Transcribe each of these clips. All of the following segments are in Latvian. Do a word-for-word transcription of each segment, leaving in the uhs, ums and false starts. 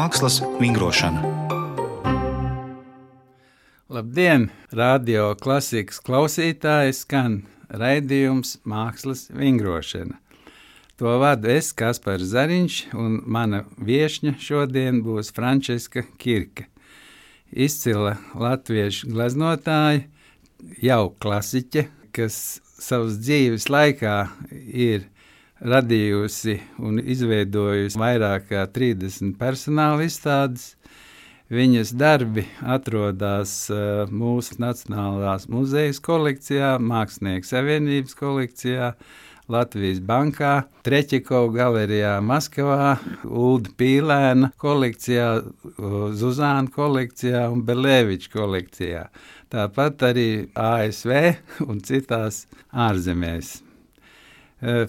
Mākslas vingrošana. Labdien, radio klasikas klausītāji, skan raidījums Mākslas vingrošana. To vadu es, Kaspars Zariņš, un mana viešņa šodien būs Frančiska Kirke. Izcila latviešu gleznotāja, jau klasiķe, kas savas dzīves laikā ir radījusi un izveidojusi vairāk kā trīsdesmit personāla izstādes. Viņas darbi atrodas uh, mūsu Nacionālās muzejas kolekcijā, Mākslinieku savienības kolekcijā, Latvijas bankā, Treķikova galerijā Maskavā, Ulda Pīlēna kolekcijā, Zuzāna kolekcijā un Belēviča kolekcijā. Tāpat arī A S V un citās ārzemēs.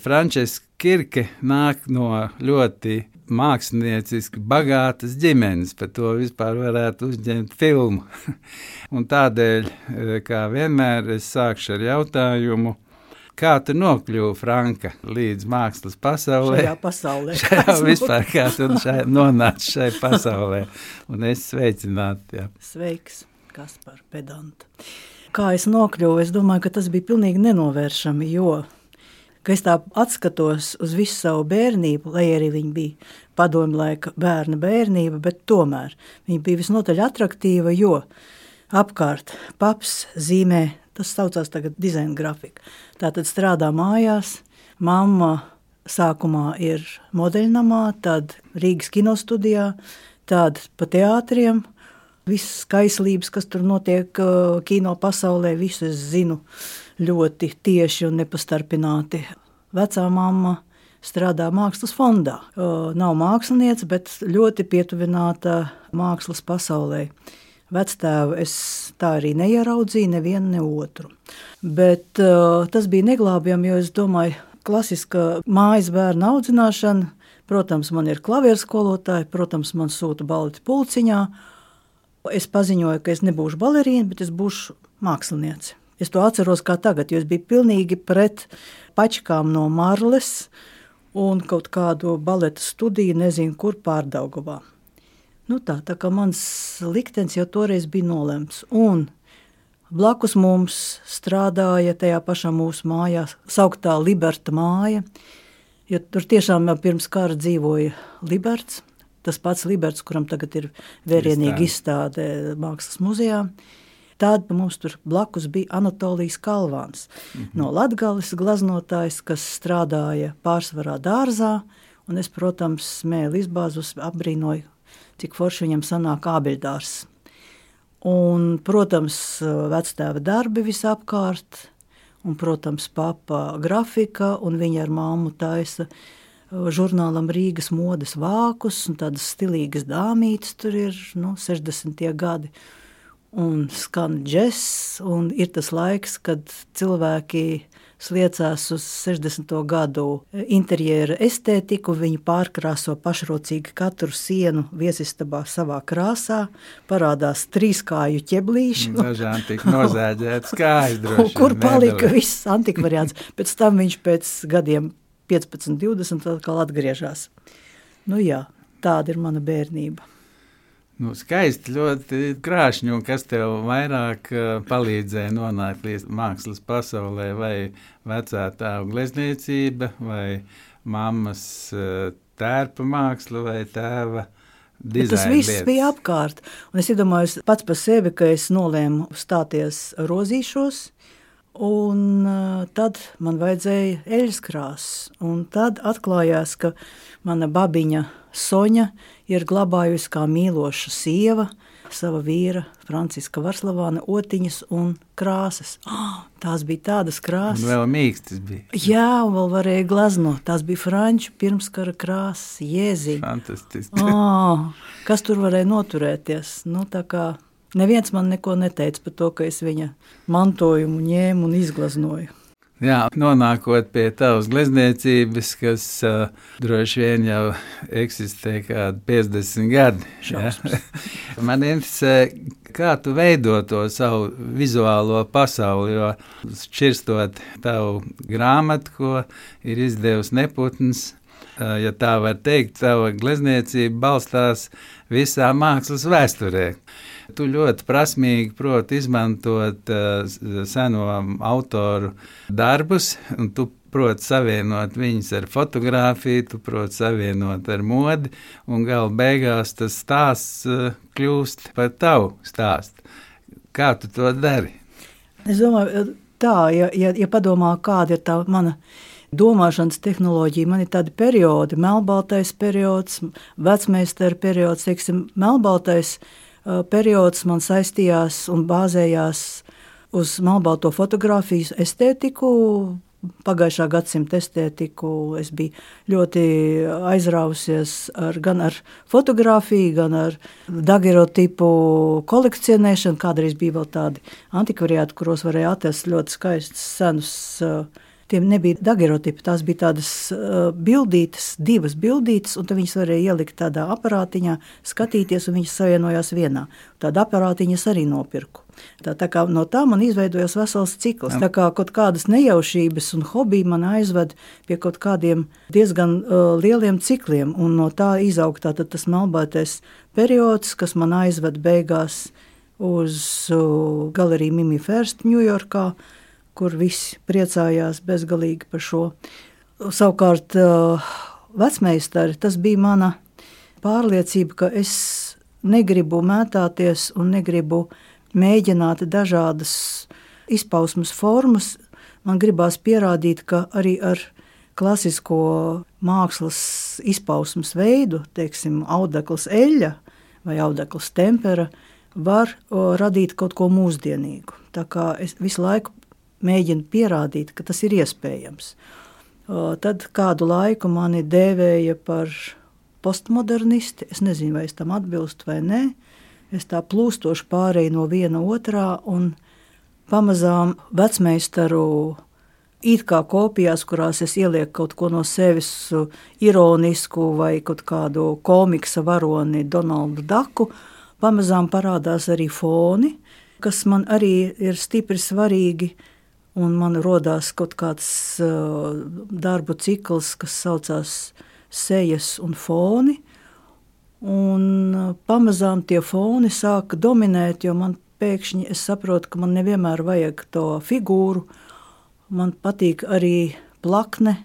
Frančiska Kirke nāk no ļoti mākslinieciski bagātas ģimenes, par to vispār varētu uzņemt filmu. Un tādēļ, kā vienmēr, es sākšu ar jautājumu, kā tu nokļuvi, Franka, līdz mākslas pasaulē? Šajā pasaulē. Šajā vispār, kā tu šai, nonāci šai pasaulē. Un es sveicinātu, jā. Sveiks, Kaspar, pedanta. Kā es nokļuvu, es domāju, ka tas bija pilnīgi nenovēršami, jo ka es tā atskatos uz visu savu bērnību, lai arī viņa bija padomju laika bērna bērnība, bet tomēr viņa bija visnotaļ atraktīva, jo apkārt paps zīmē, tas saucās tagad dizaina grafika. Tātad strādā mājās, mamma sākumā ir modeļnamā, tad Rīgas kinostudijā, tad pa teātriem, visas skaislības, kas tur notiek kino pasaulē, visu es zinu ļoti tieši un nepastarpināti. Vecā mamma strādā mākslas fondā. Nav māksliniece, bet ļoti pietuvināta mākslas pasaulē. Vectēvu es tā arī neieraudzīju, nevienu, ne otru. Bet uh, tas bija neglābjami, jo es domāju, klasiska mājas bērna audzināšana, protams, man ir klavieru skolotāji, protams, man sūta baleti pulciņā. Es paziņoju, ka es nebūšu balerīna, bet es būšu māksliniece. Es to atceros kā tagad, jo es biju pilnīgi pret pačkām no Marles un kaut kādu baleta studiju, nezinu, kur Pārdaugavā. Nu tā, tā kā mans liktenis jau toreiz bija nolemts. Un blakus mums strādāja tajā pašā mūsu mājā, sauktā Liberta māja, jo tur tiešām jau pirms kara dzīvoja Liberts, tas pats Liberts, kuram tagad ir vērienīga izstāde Mākslas muzejā. Tad mums tur blakus bija Anatolijas Kalvāns, mm-hmm. no Latgales glaznotājs, kas strādāja pārsvarā dārzā, un es, protams, smēli izbāzus, apbrīnoju, cik forši viņam sanāk ābeļdārs. Un, protams, vectēva darbi visapkārt, un, protams, papa grafika, un viņa ar māmu taisa žurnālam Rīgas modes vākus, un tādas stilīgas dāmītes tur ir, nu, sešdesmitie gadi. Un skan džess, un ir tas laiks, kad cilvēki sliecās uz sešdesmito gadu interjera estētiku, viņi pārkrāso pašrocīgi katru sienu viesistabā savā krāsā, parādās trīskāju ķeblīši. Dažām tik nozēģētas kājas droši. Kur palika viss antikvariāts, pēc tam viņš pēc gadiem piecpadsmit, divdesmit atkal atgriežās. Nu jā, tāda ir mana bērnība. Nu, skaisti, ļoti krāšņi, un kas tev vairāk uh, palīdzēja nonākt līdz mākslas pasaulē, vai vecā tēva glezniecība, vai mammas uh, tērpa māksla, vai tēva dizaina tas viss lietas. Bija apkārt, un es iedomājos pats par sevi, ka es nolēmu stāties rozīšos, un uh, tad man vajadzēja eļas krāsas, un tad atklājās, ka mana babiņa Soņa ir glabājusi kā mīloša sieva sava vīra Franciska Varslavāna otiņas un krāsas. Oh, tās bija tādas krāsas. Un vēl mīkstas bija. Jā, un vēl varēja glaznot. Tās bija franču pirmskara krāsas, jēziņi. Fantastiski. Oh, kas tur varēja noturēties? Nu, tā kā neviens man neko neteica par to, ka es viņa mantojumu ņēmu un izglaznoju. Jā, nonākot pie tavas glezniecības, kas uh, droši vien jau eksistē kādi piecdesmit gadi. Ja? Man interesē, kā tu veido to savu vizuālo pasauli, jo šķirstot tavu grāmatu, ko ir izdevusi Neputns, ja tā var teikt, tava glezniecība balstās visā mākslas vēsturē. Tu ļoti prasmīgi proti izmantot uh, seno autoru darbus, un tu proti savienot viņus ar fotografiju, tu proti savienot ar modi, un gala beigās tas stāsts uh, kļūst par tavu stāstu. Kā tu to dari? Es domāju, tā, ja, ja, ja padomā, kāda ir tā mana domāšanas tehnoloģija, man ir tādi periodi, melnbaltais periods, vecmeistara periods, teiksim, melnbaltais uh, periods man saistījās un bāzējās uz melnbalto fotografijas estētiku, pagājušā gadsimta estētiku. Es biju ļoti aizrāvusies ar, gan ar fotografiju, gan ar daguerreotipu kolekcionēšanu. Kādreiz bija vēl tādi antikvariāti, kuros varēja atrast ļoti skaistus senus. Tiem nebija daguerreotipi, tās bija tādas uh, bildītes, divas bildītes, un tad viņas varēja ielikt tādā aparātiņā, skatīties, un viņas savienojās vienā. Tāda aparātiņas arī nopirku. Tā, tā kā no tā man izveidojās vesels cikls. Tā kā kaut kādas nejaušības un hobiji man aizved pie kaut kādiem diezgan uh, lieliem cikliem, un no tā izaug tātad tas melnbaltais periods, kas man aizved beigās uz uh, galeriju Mimi First Ņujorkā, kur visi priecājās bezgalīgi par šo. Savukārt vecmeistari, tas bija mana pārliecība, ka es negribu mētāties un negribu mēģināt dažādas izpausmes formas. Man gribās pierādīt, ka arī ar klasisko mākslas izpausmes veidu, teiksim, audekls eļļa vai audekls tempera, var radīt kaut ko mūsdienīgu. Tā kā es visu laiku mēģinu pierādīt, ka tas ir iespējams. Tad kādu laiku mani dēvēja par postmodernisti. Es nezinu, vai es tam atbilstu vai nē. Es tā plūstoši pārēju no viena otrā un pamazām vecmeistaru it kā kopijās, kurās es ielieku kaut ko no sevis ironisku vai kaut kādu komiksa varoni Donaldu Daku, pamazām parādās arī foni, kas man arī ir stipri svarīgi. Un man rodās kaut kāds uh, darbu cikls, kas saucās sejas un foni. Un uh, pamazām tie foni sāka dominēt, jo man pēkšņi es saprotu, ka man nevienmēr vajag to figūru. Man patīk arī plakne,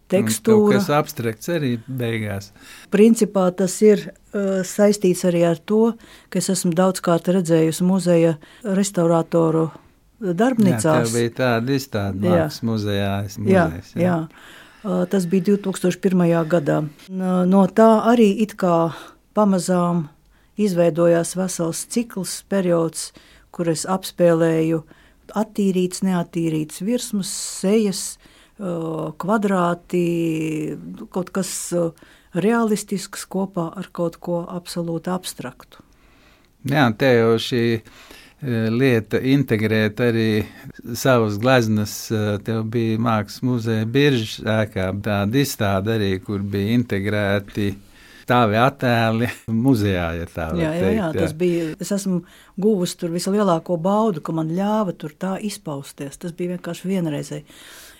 tekstūra. Kaut kas abstrakts arī beigās. Principā tas ir uh, saistīts arī ar to, ka es esmu daudzkārt redzējusi muzeja restaurātoru darbnīcās. Jā, tev bija tāda izstāde mākslas muzejā. Jā, jā. jā, tas bija divi tūkstoši pirmajā gadā. No tā arī it kā pamazām izveidojās vesels cikls, periods, kur es apspēlēju attīrīts, neattīrīts virsmas, sejas, kvadrāti, kaut kas realistisks kopā ar kaut ko absolūti abstraktu. Jā, te jau šī lieta integrēt arī savas gleznas. Tev bija mākslas muzeja Biržas ēkā tāda izstāde arī, kur bija integrēti tavi attēli muzejā, ja tā var jā, teikt. Jā, jā, tas bija, es esmu guvusi tur vislielāko baudu, ka man ļāva tur tā izpausties. Tas bija vienkārši vienreizēji.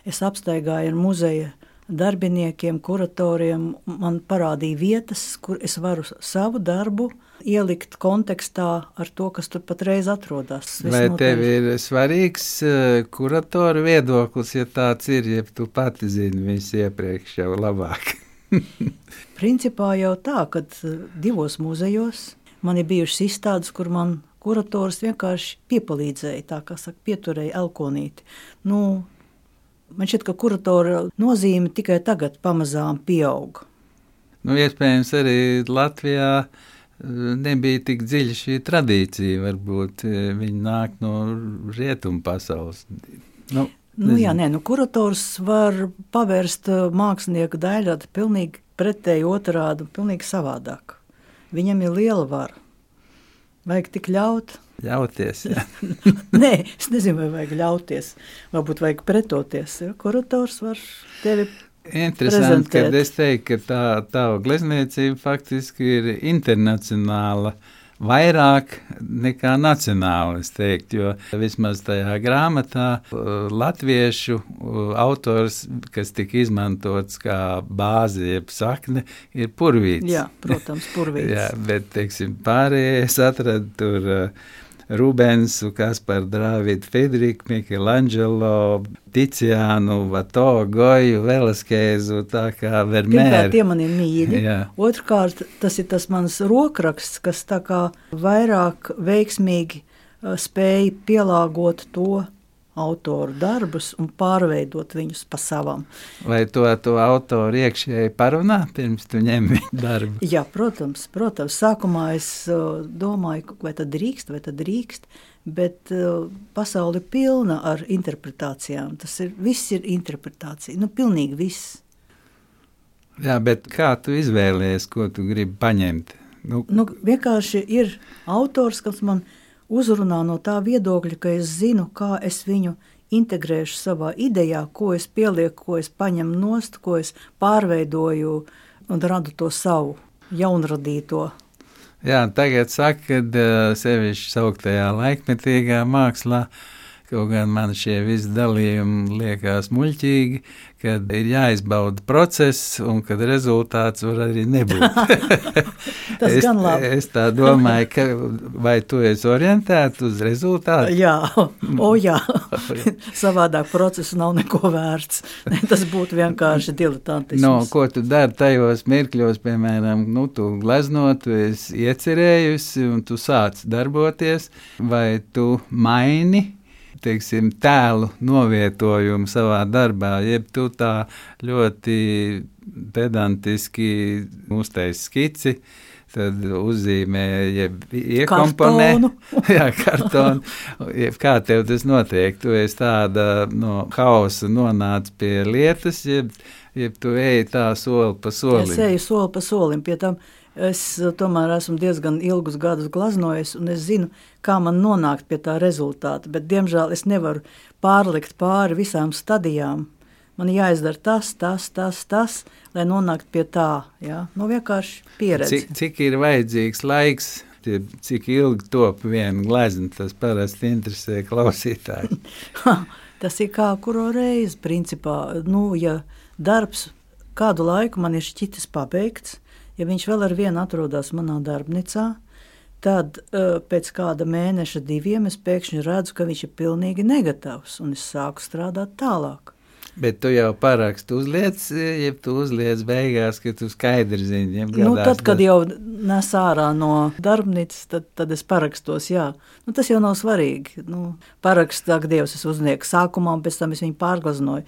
Es apstaigāju ar muzeja darbiniekiem, kuratoriem, man parādīja vietas, kur es varu savu darbu ielikt kontekstā ar to, kas tur patreiz atrodas. Vai tev ir svarīgs kuratoru viedoklis, ja tāds ir, ja tu pati zini visu iepriekš jau labāk? Principā jau tā, kad divos muzejos man ir bijušas izstādes, kur man kurators vienkārši piepalīdzēja, tā kā saka, pieturēja elkonīti. Nu, man šķiet, ka kuratora nozīme tikai tagad pamazām pieaug. Nu, iespējams, arī Latvijā nebija tik dziļa šī tradīcija, varbūt viņi nāk no rietumu pasaules. Nu, nu jā, nē, nu kurators var pavērst mākslinieku daļādi pilnīgi pretēji otrādi, pilnīgi savādāk. Viņam ir liela vara. Vajag tik ļaut. Ļauties, jā. Nē, es nezinu, vai vajag ļauties. Varbūt vajag pretoties. Ja? Kurators var tevi interesanti, prezentēt. Kad es teiktu, ka tā tava glezniecība faktiski ir internacionāla vairāk nekā nacionāli, es teiktu, jo vismaz tajā grāmatā latviešu autors, kas tika izmantots kā bāze, jeb sakne, ir Purvīts. Jā, protams, Purvīts. Jā, bet, teiksim, pārējie es atradu tur Rubensu, Kasparu Drāvidu, Federiku, Michelangelo, Ticiānu, Vato, Goju, Velaskēzu, tā kā Vermeer. Pirmkārt, tie man ir mīļi. Jā. Otrkārt, tas ir tas mans rokraksts, kas tā kā vairāk veiksmīgi uh, spēja pielāgot to autoru darbus un pārveidot viņus pa savam. Vai to, to autoru iekšēji parunā, pirms tu ņem viņu darbu? Jā, protams, protams. Sākumā es uh, domāju, vai tad drīkst, vai tad drīkst, bet uh, pasaule ir pilna ar interpretācijām. Tas ir, viss ir interpretācija, nu pilnīgi viss. Jā, bet kā tu izvēlies, ko tu gribi paņemt? Nu, nu vienkārši ir autors, kas man uzrunā no tā viedokļa, ka es zinu, kā es viņu integrēšu savā idejā, ko es pielieku, ko es paņemu nost, ko es pārveidoju un radu to savu jaunradīto. Jā, tagad saka, ka sevišķi sauktajā laikmetīgā mākslā, kaut gan man šie visi dalījumi liekas muļķīgi, kad ir jāizbauda process un kad rezultāts var arī nebūt. Tas es, gan labi. Es tā domāju, ka vai tu esi orientēta uz rezultātu? Jā, o jā, savādāk procesu nav neko vērts. Tas būtu vienkārši diletantisms. No, ko tu dari tajos mirkļos, piemēram, nu, tu gleznot, tu esi iecerējusi un tu sāc darboties, vai tu maini, teiksim, tēlu novietojumu savā darbā, jeb tu tā ļoti pedantiski uztaisi skici, tad uzzīmē, jeb iekomponē. Kartonu. Jā, kartonu. Jeb kā tev tas notiek? Tu esi tāda no hausa nonāc pie lietas, jeb, jeb tu eji tā soli pa solim? Es eju soli pa solim, pie tam es tomēr esmu diezgan ilgus gadus glaznojis, un es zinu, kā man nonākt pie tā rezultāta, bet, diemžēl, es nevaru pārlikt pāri visām stadijām. Man jāizdara tas, tas, tas, tas, lai nonāktu pie tā, jā, nu vienkārši pieredzi. Cik, cik ir vajadzīgs laiks, cik ilgi top viena glezna, tas parasti interesē klausītāji. Tas ir kā kuro reizi, principā, nu, ja darbs kādu laiku man ir šķitis pabeigts, ja viņš vēl ar vienu atrodas manā darbnīcā, tad uh, pēc kāda mēneša, diviem, es pēkšņi redzu, ka viņš ir pilnīgi negatavs, un es sāku strādāt tālāk. Bet tu jau parakstu uzliec, ja tu uzliec beigās, ka tu skaidri zini, ja gadās. Nu, tad, kad jau nes ārā no darbnīcas, tad, tad es parakstos, jā. Nu, tas jau nav svarīgi. Nu, paraksts, ak, Dievs, es uznieku sākumā, un pēc tam es viņu pārglaznoju.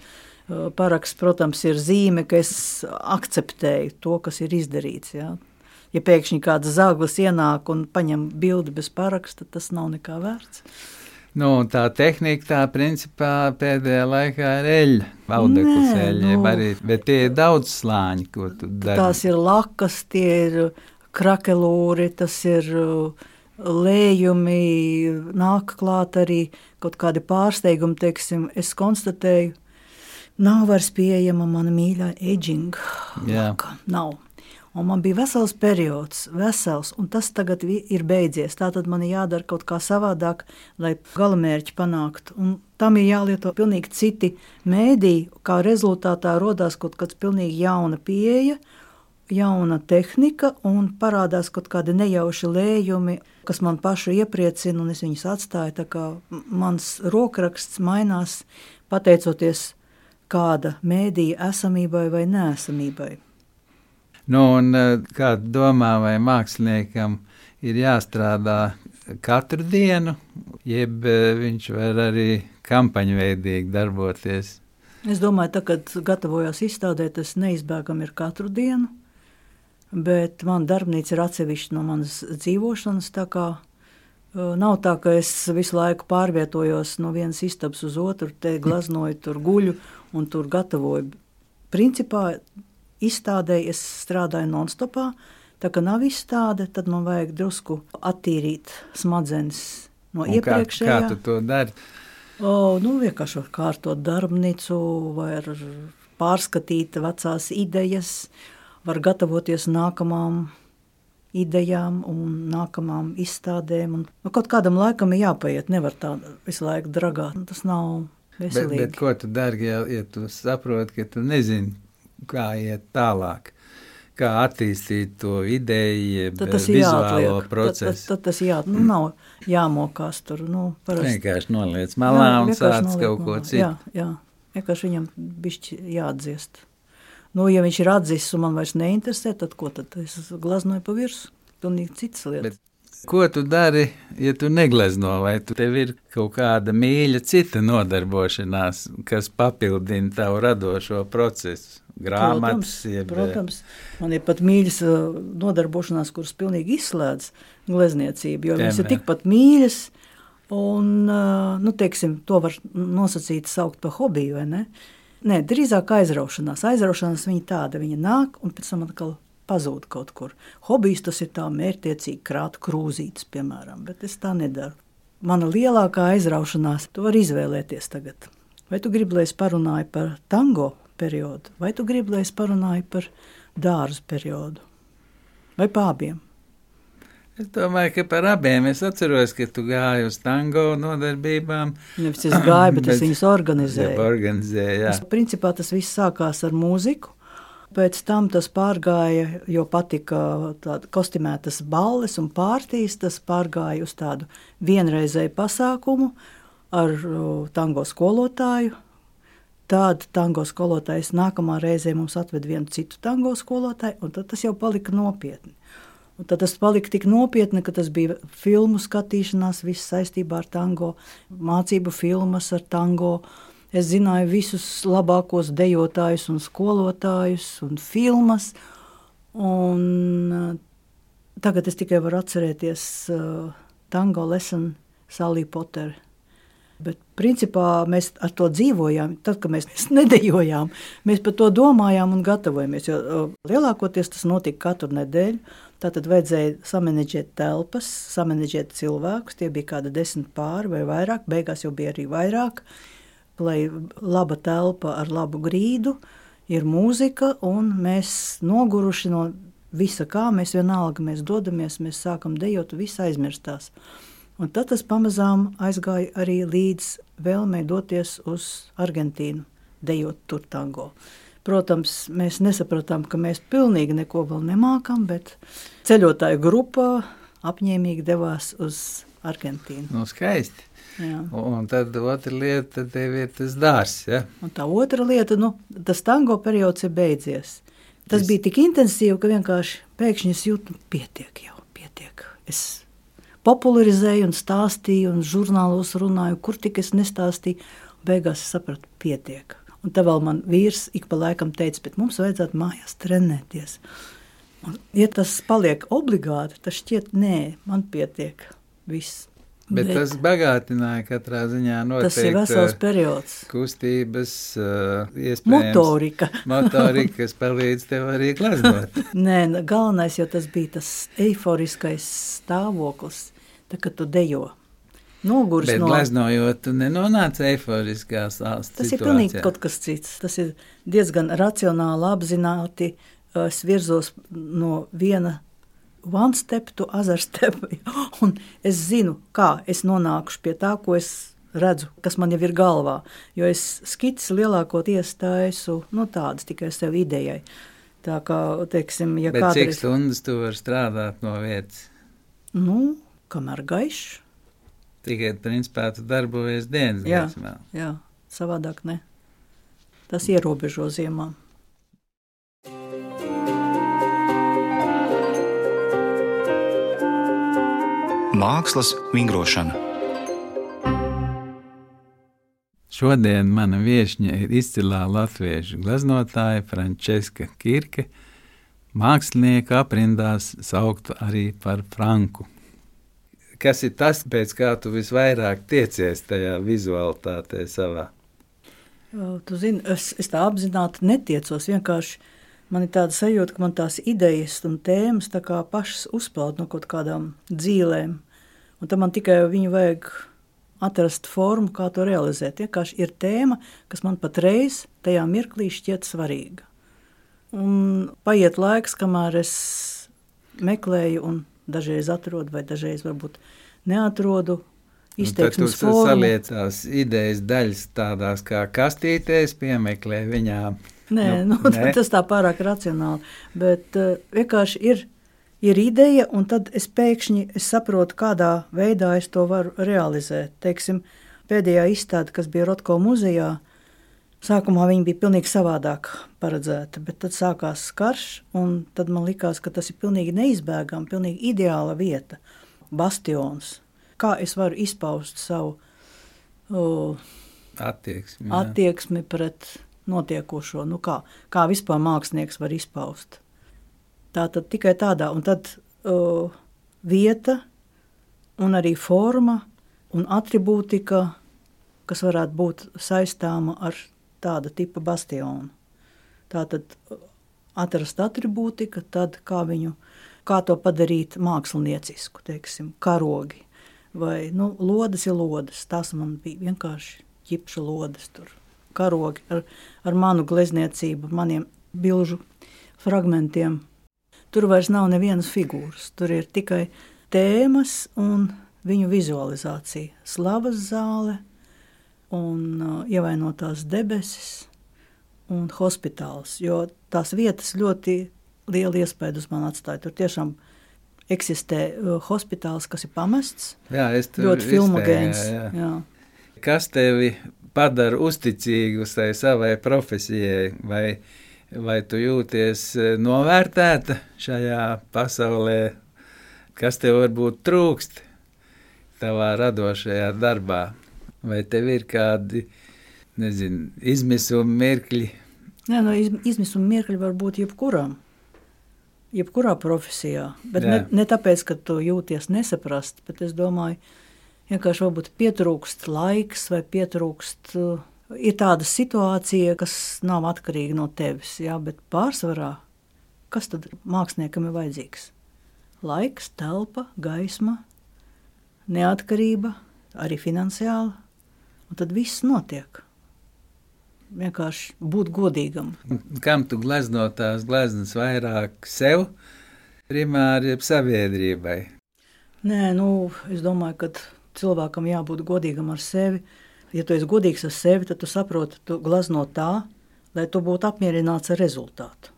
Paraksts, protams, ir zīme, ka es akceptēju to, kas ir izdarīts. Jā. Ja pēkšņi kāds zāglis ienāk un paņem bildi bez paraksta, tas nav nekā vērts. Nu, tā tehnika, tā principā pēdējā laikā ir eļļa, audeklas eļļa, nu, arī, bet tie ir daudz slāņi, ko tu dari. Tās ir lakas, tie ir krakelūri, tas ir lējumi, nāk klāt arī kaut kādi pārsteigumi, teiksim, es konstatēju, nav vairs pieejama mana mīļā aging laka, nav. Un man bija vesels periods, vesels, un tas tagad ir beidzies. Tātad man ir jādara kaut kā savādāk, lai galamērķi panāktu. Un tam ir jālieto pilnīgi citi mēdī, kā rezultātā rodās kaut kāds pilnīgi jauna pieeja, jauna tehnika, un parādās kaut kādi nejauši lējumi, kas man pašu iepriecina, un es viņus atstāju. Tā kā mans rokraksts mainās pateicoties kāda mēdīja esamībai vai neesamībai. Nu, un kā domā, vai māksliniekam ir jāstrādā katru dienu, jeb viņš var arī kampaņveidīgi darboties? Es domāju, tā, kad gatavojos izstādē, tas neizbēgam ir katru dienu, bet man darbnīca ir atsevišķa no manas dzīvošanas, tā kā nav tā, ka es visu laiku pārvietojos no vienas istabas uz otru, te glaznoju, tur guļu un tur gatavoju. Principā izstādē es strādāju non-stopā, tā kā nav izstāde, tad man vajag drusku attīrīt smadzenes no un iepriekšējā. Kā, kā tu to dari? O, nu, vienkārši var kārtot darbnīcu, var pārskatīt vecās idejas, var gatavoties nākamām idejām un nākamām izstādēm. Un, nu, kaut kādam laikam ir jāpaiet, nevar tā visu laiku dragāt. Tas nav veselīgi. Bet, bet ko tu dari, ja, ja tu saproti, ka tu nezini, kā iet tālāk? Kā attīstīt to ideju, tad tas vizuālo procesu? Tad, tad, tad tas jā, nu, nav jāmokās tur. Nu, parasti. Vienkārši noliec malā jā, un sāc kaut ko malā. citu. Jā, jā. Vienkārši viņam bišķi jāatdziest. Nu, ja viņš ir atdzists un man vairs neinteresē, tad ko tad? Es glaznoju pa virsu. Pilnīgi citas lietas. Bet ko tu dari, ja tu neglezno, vai tu tev ir kaut kāda mīļa cita nodarbošanās, kas papildina tavu radošo procesu? Grāmatas, protams, jeb... protams, man ir pat mīļas nodarbošanās, kuras pilnīgi izslēdz glezniecību, jo viņas ir tikpat mīļas un, nu, teiksim, to var nosacīt saukt par hobiju, vai ne? Nē, drīzāk aizraušanās. Aizraušanās viņa tāda, viņa nāk un pēc tam atkal pazūd kaut kur. Hobijs tas ir tā mērķtiecīgi krāt krūzītes, piemēram, bet es tā nedaru. Mana lielākā aizraušanās, tu vari izvēlēties tagad. Vai tu gribi, lai es parunāju par tango periodu, vai tu gribi, lai es parunāju par dārzu periodu, vai pa abiem? Es domāju, ka par abiem. Es atceros, ka tu gāji uz tango nodarbībām. Nevis es gāju, bet es viņus organizēju. organizēju jā. Es, principā tas viss sākās ar mūziku, pēc tam tas pārgāja, jo patika tāda kostimētas balles un pārtīs, tas pārgāja uz tādu vienreizēju pasākumu ar tango skolotāju. Tāda tango skolotājs nākamā reizē mums atved vienu citu tango skolotāju, un tad tas jau palika nopietni. Un tad tas palika tik nopietni, ka tas bija filmu skatīšanās, viss saistībā ar tango, mācību filmas ar tango. Es zināju visus labākos dejotājus un skolotājus un filmas, un tagad es tikai varu atcerēties uh, tango lesson Sally Potter. Bet principā mēs ar to dzīvojām, tad, kad mēs nedejojām, mēs par to domājām un gatavojamies, jo lielākoties tas notika katru nedēļu, tātad vajadzēja samanedžēt telpas, samanedžēt cilvēkus, tie bija kāda desmit pāri vai vairāk, beigās jau bija arī vairāk, lai laba telpa ar labu grīdu, ir mūzika un mēs noguruši no visa kā, mēs vienalga, mēs dodamies, mēs sākam dejot, viss aizmirstās. Un tad tas pamazām aizgāja arī līdz vēlmei doties uz Argentīnu, dejot tur tango. Protams, mēs nesapratām, ka mēs pilnīgi neko vēl nemākam, bet ceļotāju grupā apņēmīgi devās uz Argentīnu. Nu, skaisti. Jā. Un tad otra lieta, tad tev ir tas dārs, ja? Un tā otra lieta, nu, tas tango periods ir beidzies. Tas es... bija tik intensīvi, ka vienkārši pēkšņi es jūtu, pietiek jau, pietiek. Es popularizēju un stāstīju un žurnālos runāju, kur tik es nestāstīju. Beigās es sapratu, pietiek. Un tā vēl man vīrs ik pa laikam teica, bet mums vajadzētu mājās trenēties. Un, ja tas paliek obligāti, tad šķiet, nē, man pietiek viss. Bet, bet tas bagātināja katrā ziņā noteikti. Tas ir vesels periods. Kustības, uh, iespējams. Motorika. Motorika, kas palīdz tev arī glaznot. Nē, galvenais, jo tas bija tas eiforiskais stāvoklis, tā, kad tu dejo. Noguris Bet no... glaznojot, tu nenonāc eiforiskā situācijā. Tas ir pilnīgi kaut kas cits. Tas ir diezgan racionāli apzināti. Es virzos no viena one step to other step. Un es zinu, kā es nonākušu pie tā, ko es redzu, kas man jau ir galvā. Jo es skicis lielākoties taisu, nu tādas tikai sev idejai. Tā kā, teiksim, ja Bet kādreiz... cik stundas tu vari strādāt no vietas? Nu, kamēr gaišs. Tikai, principā, tu darbojies dienas jā, gaismā. Jā, savādāk ne. Tas ierobežo ziemā. Mākslas vingrošana. Šodien mana viešņa ir izcilā latviešu gleznotāja Frančeska Kirke, mākslinieka aprindās sauktu arī par Franku. Kas ir tas, pēc kā tu visvairāk tiecies tajā vizualitātē savā? Tu zini, es, es tā apzināti netiecos, vienkārši man ir tāda sajūta, ka man tās idejas un tēmas tā kā pašas uzpeld no kaut kādām dzīlēm. Un tad man tikai viņu vajag atrast formu, kā to realizēt. Vienkārši ir tēma, kas man patreiz tajā mirklī šķiet svarīga. Un paiet laiks, kamēr es meklēju un dažreiz atrodu, vai dažreiz varbūt neatrodu izteiksmes formu. formu. Tad tu saliecās idejas daļas tādās kā kastītēs, piemeklē viņām. Nē, nu, nu, nē. Tas tā pārāk racionāli, bet uh, vienkārši ir, ir ideja, un tad es pēkšņi es saprotu, kādā veidā es to varu realizēt. Teiksim, pēdējā izstāde, kas bija Rotko muzejā, sākumā viņa bija pilnīgi savādāk paredzēta, bet tad sākās karš, un tad man likās, ka tas ir pilnīgi neizbēgami, pilnīgi ideāla vieta, bastions. Kā es varu izpaust savu uh, attieksmi, attieksmi pret notiekošo, nu kā, kā vispār mākslinieks var izpaust. Tā tad tikai tādā, un tad uh, vieta un arī forma un atribūtika, kas varētu būt saistāma ar tāda tipa bastionu. Tātad atrast atribūtika, tad kā viņu, kā to padarīt māksliniecisku, teiksim, karogi. Vai, nu, lodes ir lodes, tās man bija vienkārši ķipša lodes tur. Karogi ar, ar manu glezniecību, maniem bilžu fragmentiem. Tur vairs nav nevienas figūras, tur ir tikai tēmas un viņu vizualizācija. Slavas zāle un uh, ievainotās debesis un hospitāls, jo tās vietas ļoti lielu iespēju uz mani atstāja. Tur tiešām eksistē uh, hospitāls, kas ir pamests, jā, ļoti filmogēns. Jā, jā. Jā. Kas tevi padara uzticīgu savai profesijai, vai, vai tu jūties novērtēta šajā pasaulē, kas tev varbūt trūkst tavā radošajā darbā, vai tev ir kādi, nezinu, izmisuma mirkļi? Jā, no izmisuma mirkļi var būt jebkuram. Jebkurā profesijā, bet ne, ne tāpēc, ka tu jūties nesaprast, bet es domāju, vienkārši varbūt pietrūkst laiks vai pietrūkst, uh, ir tāda situācija, kas nav atkarīga no tevis, jā, bet pārsvarā, kas tad māksliniekam ir vajadzīgs? Laiks, telpa, gaisma, neatkarība, arī finansiāli, un tad viss notiek. Vienkārši būt godīgam. Kam tu glezno tās gleznas vairāk sev, primāri sabiedrībai? Nē, nu, es domāju, ka cilvēkam jābūt godīgam ar sevi. Ja tu esi godīgs ar sevi, tad tu saproti, tu glezno tā, lai tu būtu apmierināts ar rezultātu.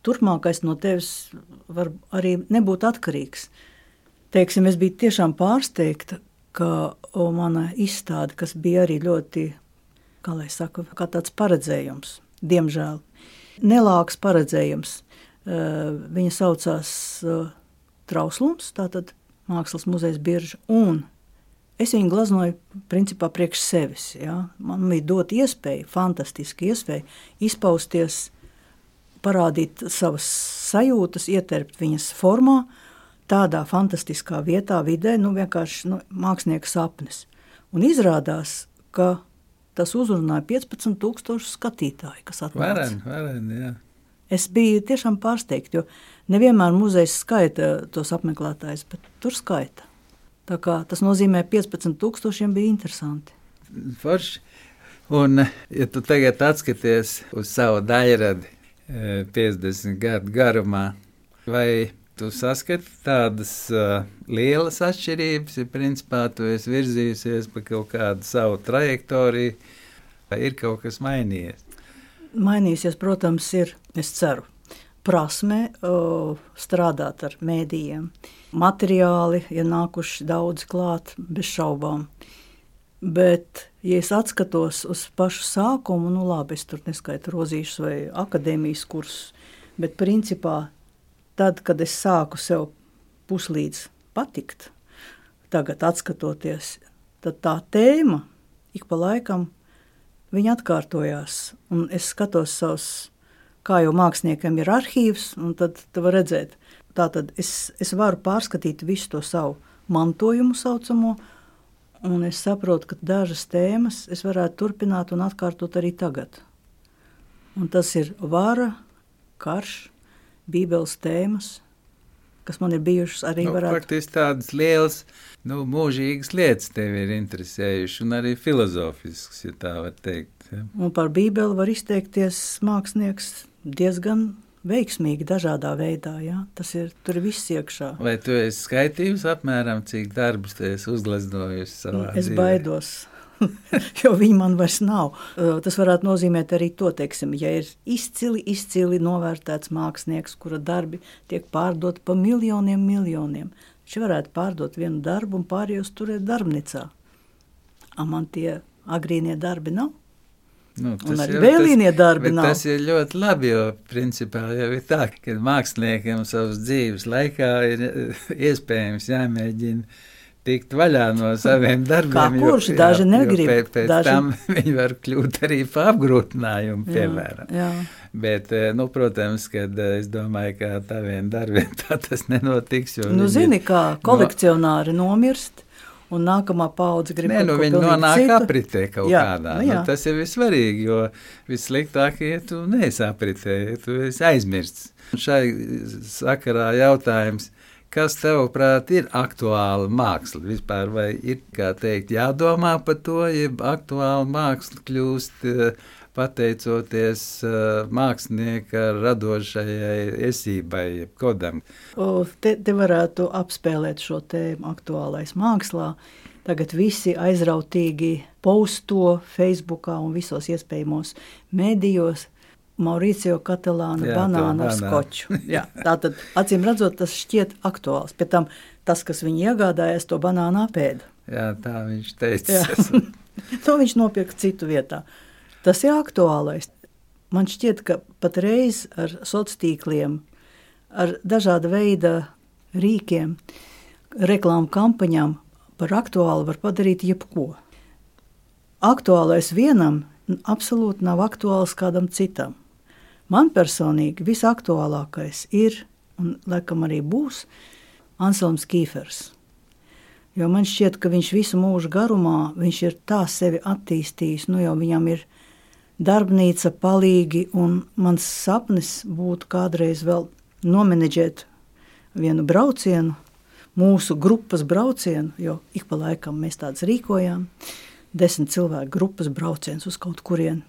Turpmākais no tevis var arī nebūt atkarīgs. Teiksim, es biju tiešām pārsteigta, ka o, mana izstāde, kas bija arī ļoti, kā lai saka, kā tāds paredzējums, diemžēl, nelāks paredzējums. Viņa saucās Trauslums, tātad Mākslas muzejs Birža, un es viņu gleznoju principā priekš sevis. Ja? Man bija dot iespēju, fantastiski iespēju izpausties, parādīt savas sajūtas, ieterpt viņas formā, tādā fantastiskā vietā, vidē, nu vienkārši nu, mākslinieka sapnis. Un izrādās, ka tas uzrunāja piecpadsmit tūkstoši skatītāji, kas atnāca. Varen, varen, jā. Es biju tiešām pārsteigta, jo nevienmēr muzejs skaita tos apmeklētājus, bet tur skaita. Tā kā tas nozīmē piecpadsmit tūkstošiem bija interesanti. Forši. Un, ja tu tagad atskaties uz savu daļradi piecdesmit gadu garumā, vai tu saskati tādas uh, lielas atšķirības, ja principā tu esi virzījusies pa kaut kādu savu trajektoriju, vai ir kaut kas mainījies? Mainīsies, protams, ir, es ceru, prasme uh, strādāt ar mēdījiem. Materiāli ir nākuši daudz klāt, bez šaubām. Bet, ja es atskatos uz pašu sākumu, nu labi, es tur neskaitu rozīšus vai akadēmijas kursus, bet principā tad, kad es sāku sev puslīdz patikt, tagad atskatoties, tad tā tēma ik pa laikam viņa atkārtojās. Un es skatos savus, kā jau māksliniekam ir arhīvs, un tad tu var redzēt. Tātad es, es varu pārskatīt visu to savu mantojumu saucamo, un es saprotu, ka dažas tēmas es varētu turpināt un atkārtot arī tagad. Un tas ir vara, karš, Bībeles tēmas, kas man ir bijušas arī nu, varētu... Faktiski tādas lielas, nu, mūžīgas lietas tevi ir interesējuši, un arī filozofisks, ja tā var teikt. Ja. Un par Bībeli var izteikties mākslinieks diezgan veiksmīgi dažādā veidā. Ja? Tas ir, tur ir viss iekšā. Vai tu esi skaitījusi apmēram, cik darbus tu esi uzgleznojusi savā Es dzīvē? baidos, jo viņi man vairs nav. Tas varētu nozīmēt arī to, teiksim, ja ir izcili, izcili novērtēts mākslinieks, kura darbi tiek pārdot pa miljoniem, miljoniem. Viņš varētu pārdot vienu darbu un pārējos turēt darbnīcā. A man tie agrīnie darbi nav? Nu, Un arī vēlīnie darbi nav. Tas ir ļoti labi, jo principā jau ir tā, ka māksliniekam savas dzīves laikā ir iespējams jāmēģina tikt vaļā no saviem darbiem. Kā kurš, jo, daži jā, negrib. Pēc, pēc daži... tam viņi var kļūt arī pa apgrūtinājumu, piemēram. Jā, jā. Bet, nu, protams, kad es domāju, ka taviem darbiem tā tas nenotiks. Nu, zini, kā kolekcionāri no... nomirst, un nākamā paudze grib Nē, nu, kaut ko viņi nonāk citu. apritē kaut jā, kādā. Nu, nu, tas ir vissvarīgi, jo vissliktāk, ja tu neesi apritē, ja tu esi aizmirsts. Šai sakarā jautājums, kas tavuprāt ir aktuāla māksla vispār, vai ir, kā teikt, jādomā par to, ja aktuāla māksla kļūst pateicoties uh, mākslinieka radošajai esībai, kodam. O, te, te varētu apspēlēt šo tēmu aktuālais mākslā. Tagad visi aizrautīgi posto Facebookā un visos iespējamos medijos Mauricio Catalāna Jā, banānu ar banānu. skoču. Jā, tātad, acīm redzot, tas šķiet aktuāls. Pēc tam tas, kas viņu iegādājās, to banānu apēda. Jā, tā viņš teica. To viņš nopirka citu vietā. Tas ir aktuālais. Man šķiet, ka patreiz ar sociāliem, ar dažāda veida rīkiem, reklāmu kampaņām par aktuālu var padarīt jebko. Aktuālais vienam absolūti nav aktuāls kādam citam. Man personīgi visaktuālākais ir, un laikam arī būs, Anselms Kīfers. Jo man šķiet, ka viņš visu mūžu garumā, viņš ir tā sevi attīstījis, nu jau viņam ir darbnīca palīgi, un mans sapnis būtu kādreiz vēl nomenedžēt vienu braucienu, mūsu grupas braucienu, jo ik pa laikam mēs tāds rīkojām, desmit cilvēku grupas brauciens uz kaut kurien.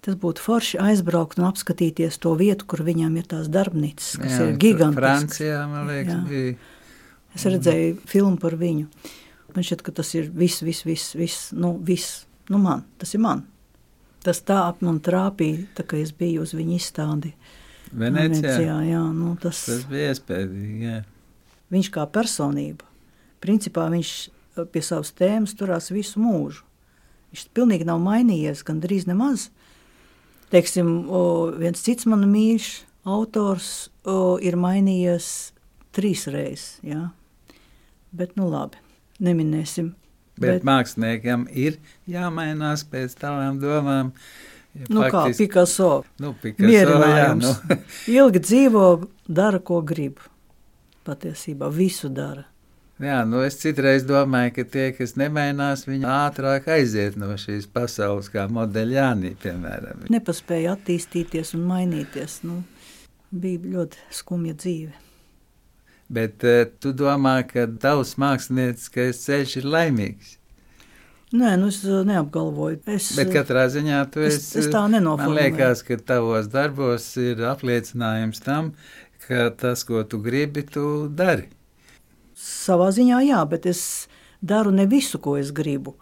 Tas būtu forši aizbraukt un apskatīties to vietu, kur viņam ir tās darbnīcas, kas Jā, ir gigantiskas. Francijā, man liekas, Jā. bija. Es redzēju filmu par viņu. Man šķiet, ka tas ir viss, viss, viss, viss, nu, viss. Nu, man, tas ir man. Tas tā ap man trāpīja, tā kā es biju uz viņu izstādi. Venecijā? Venecijā, jā, nu, tas... Tas bija iespējīgi, jā. Viņš kā personība, principā viņš pie savas tēmas turās visu mūžu. Viņš pilnīgi nav mainījies, gan drīz nemaz. Teiksim, o, viens cits man mīļš autors o, ir mainījies trīs reizes, jā. Bet, nu labi, neminēsim. Bet, bet māksliniekam ir jāmainās pēc tavām domām. Ja Nu faktiski, kā, Picasso, nu, Picasso mierinājums. Jā, nu. Ilgi dzīvo, dara, ko grib. Patiesībā visu dara. Jā, nu es citreiz domāju, ka tie, kas nemainās, viņi ātrāk aiziet no šīs pasaules, kā Modeļānī, piemēram. Nepaspēja attīstīties un mainīties. Nu, bija ļoti skumja dzīve. Bet uh, tu domā, ka tavs mākslinieckais ceļš ir laimīgs? Nē, nu es neapgalvoju. Es, Bet katrā ziņā tu es, esi... es tā nenoformulēju. Man liekas, ka tavos darbos ir apliecinājums tam, ka tas, ko tu gribi, tu dari. Savā ziņā jā, bet es daru ne visu, ko es gribu.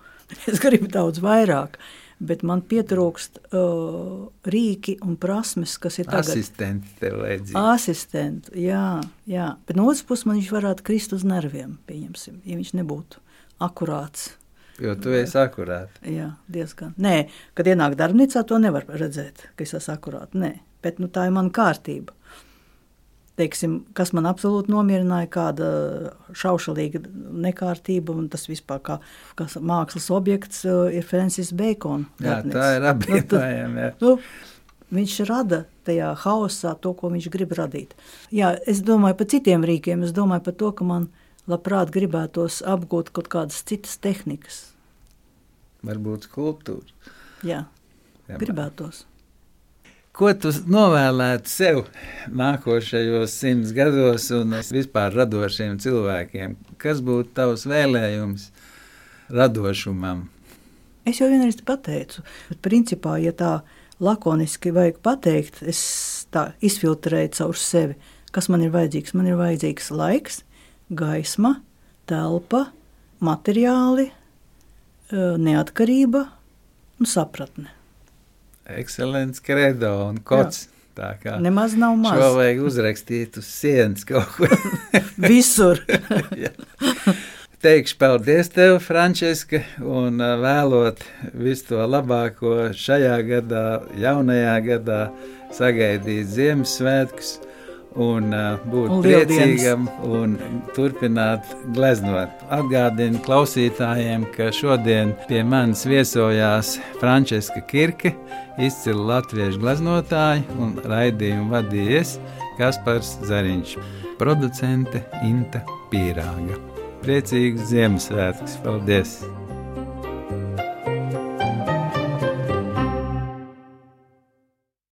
Es gribu daudz vairāk, bet man pietrūkst uh, rīki un prasmes, kas ir tagad. Asistenti tev vajadzīgi. Asistenti, jā, jā. Bet no otras puses man viņš varētu krist uz nerviem, pieņemsim, ja viņš nebūtu akurāts. Jo tu esi akurāti. Jā, diezgan. Nē, kad ienāk darbnīcā, to nevar redzēt, ka es esmu akurāti. Nē, bet nu, tā ir mana kārtība. Teiksim, kas man absolūti nomierināja, kāda šaušalīga nekārtība, un tas vispār kā, kā mākslas objekts ir Francis Bacon. Jā, darbnīca. tā ir apvienojama. Nu, viņš rada tajā haosā to, ko viņš grib radīt. Jā, es domāju par citiem rīkiem, es domāju par to, ka man labprāt gribētos apgūt kaut kādas citas tehnikas. Varbūt skulptūra. Jā, Jā, gribētos. Ko tu novēlētu sev nākošajos simts gados un vispār radošiem cilvēkiem? Kas būtu tavs vēlējums radošumam? Es jau vienreiz pateicu, bet principā, ja tā lakoniski vajag pateikt, es tā izfiltrēju caur sevi, kas man ir vajadzīgs. Man ir vajadzīgs laiks, gaisma, telpa, materiāli, neatkarība un sapratne. Ekscelents kredo un kods. Jā. Tā kā nemaz nav maz. Šo vajag uzrakstīt uz sienas kaut kur. Visur. Teikšu paldies tev, Frančiska, un vēlot visu to labāko šajā gadā, jaunajā gadā, sagaidīt Ziemassvētkus un uh, būt un priecīgam un turpināt gleznot. Atgādinu klausītājiem, ka šodien pie manis viesojās Frančiska Kirke, izcila latviešu gleznotāja, un raidījumu vadījies Kaspars Zariņš, producente Inta Pīrāga. Priecīgus Ziemassvētkus! Paldies!